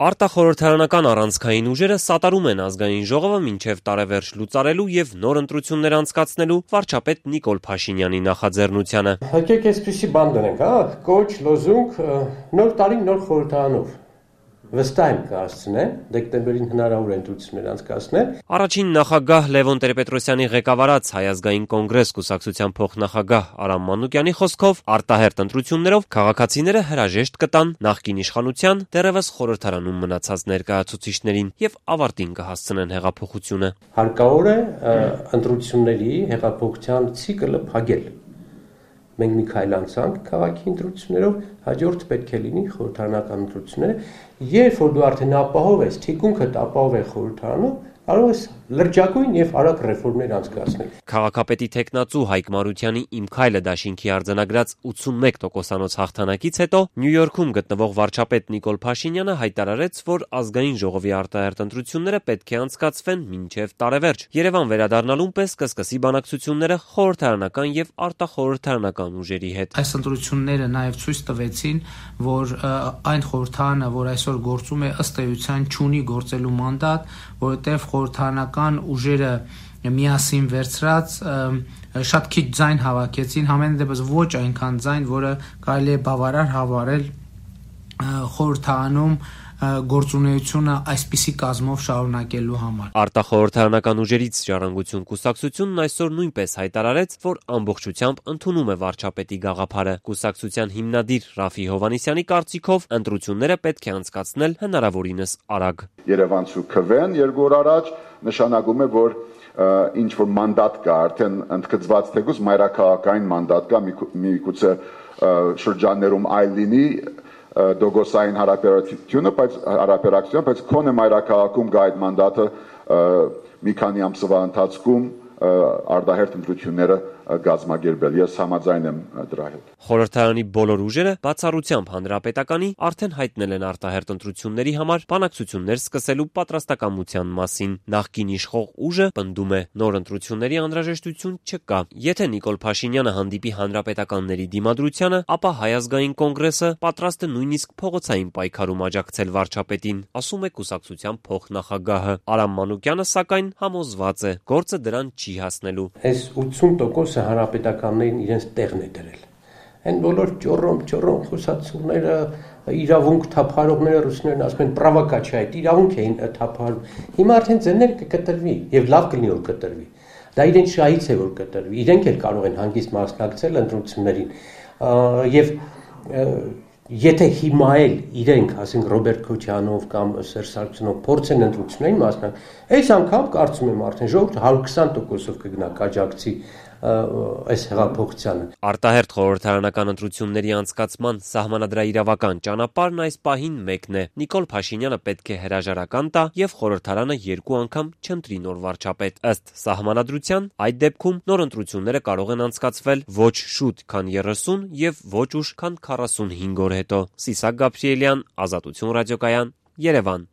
Արտախորհրդարանական առանցքային ուժերը սատարում են ազգային ժողովը մինչև տարեվերջ լուծարելու եւ նոր ընտրություններ անցկացնելու վարչապետ Նիկոլ Փաշինյանի նախաձեռնությանը։ Եկեք այսպեսի բան դնենք, կոչ, լոզունգ, նոր տարին նոր խորհրդարանով։ Վստահ եմ կհասցնեն, դեկտեմբերին հնարավոր է ընտրություններ անցկացնել։ Առաջին նախագահ Լևոն Տեր-Պետրոսյանի ղեկավարած Հայ ազգային կոնգրես կուսակցության փոխնախագահ Արամ Մանուկյանի խոսքով արտահերթ ընտրություններով քաղաքացիները հրաժեշտ կտան նախկին իշխանության դեռևս խորհրդարանում մնացած ներկայացուցիչներին եւ ավարտին կհասցնեն հեղափոխությունը։ Հարկավոր է ընտրությունների հեղափոխության ցիկլը փակել։ Մենք մի քայլ անցանք քաղաքի ընտրություններով, հաջորդ պետք է լինի խորհրդարանական ընտրությունները, երբ որ դու արդեն ապահով ես, թիկունքդ ապահով է խորհրդարանում, կարող ես լրջագույն եւ արագ ռեֆորմներ անցկացնել։ Քաղաքապետի տեխնացու Հայկ Մարությանի «Իմ քայլը» դաշինքի արձանագրած 81% հաղթանակից հետո Նյու Յորքում գտնվող վարչապետ Նիկոլ Փաշինյանը հայտարարեց, որ ազգային ժողովի արտահերթ ընտրությունները պետք է անցկացվեն մինչև տարեվերջ։ Երևան վերադառնալուն պես կսկսի բանակցությունները խորհրդարանական եւ արտախորհրդարանական ուժերի հետ։ Այս ընտրությունները նաեւ ցույց տվեցին, որ այն խորհրդարանը, որ այսօր գործում է, ըստ էության չունի գործելու մանդատ, որովհետեւ խորհրդարանական ուժերը միասին վերցրած շատ քիչ ձայն հավաքեցին, համենայն դեպս ոչ այնքան ձայն, որը կարելի է բավարար հավարել խորհրդարանում գործունեությունը այսպիսի կազմով շարունակելու համար։ Արտախորհրդարանական ուժերից Ժառանգություն կուսակցությունն այսօր նույնպես հայտարարեց, որ ամբողջությամբ ընդունում է վարչապետի գաղափարը։ Կուսակցության հիմնադիր Ռաֆի Հովհաննիսյանի կարծիքով ընտրությունները պետք է անցկացնել հնարավորինս արագ։ Երևանցու քվեն 2 օր առաջ նշանակում է, որ ինչ որ մանդատ կա, արդեն ընդգծված թեկուզ մայրաքաղաքային մանդատ կա, միգուցե շրջաններում այլ լինի դոգոսային հարաբերությունը, բայց քոնե մայրաքաղաքում գա այդ մանդատը մի քանի ամսվա ընթացքում արտահերթ ընտրությունները գազմագերբել։ Ես համաձայն եմ դրա հետ։ Խորհրդարանի բոլոր ուժերը բացառությամբ Հանրապետականի արդեն հայտնել են արտահերթ ընտրությունների համար բանակցություններ սկսելու պատրաստակամության մասին։ Նախկին իշխող ուժը պնդում է, նոր ընտրությունների անհրաժեշտություն չկա։ Եթե Նիկոլ Փաշինյանը հանդիպի հանրապետականների դիմադրությանը, ապա Հայ ազգային կոնգրեսը պատրաստ է նույնիսկ փողոցային պայքարում աջակցել վարչապետին, ասում է կուսակցության փոխնախագահը։ Արամ Մանուկյանը սակայն համոզված է, գործը դրան չի հասնելու։ Այս 80% հանրապետականներին իրենց տեղն է դրել։ Այն բոլոր ճոռոմ խոսացողները, իրավունք թափարողները ռուսներն ասում են պրովոկացիա է, իրավունք էին թափարում։ Հիմա արդեն ձեներ կկտրվի եւ լավ կլինի որ կտրվի։ Դա իրենց շահից է որ կտրվի։ Իրենք էլ կարող են հանգիստ մասնակցել ընտրություններին։ Եվ եթե հիմա էլ իրենք, ասենք Ռոբերտ Քոչարյանով կամ Սերժ Սարգսյանով փորձեն ընտրություններին մասնակցել, այս անգամ կարծում եմ արդեն ժողովուրդը 120%-ով կգնա կաջակցի այս հեղափոխությանը։ Արտահերթ խորհրդարանական ընտրությունների անցկացման սահմանադրաիրավական ճանապարհն այս պահին մեկն է։ Նիկոլ Փաշինյանը պետք է հրաժարական տա եւ խորհրդարանը 2 անգամ չընտրի նոր վարչապետ։ Ըստ սահմանադրության, այդ դեպքում նոր ընտրությունները կարող են անցկացվել ոչ շուտ, քան 30 եւ ոչ ուշ, քան 45 օր հետո։ Սիսակ Գաբրիելյան, Ազատություն ռադիոկայան, Երևան։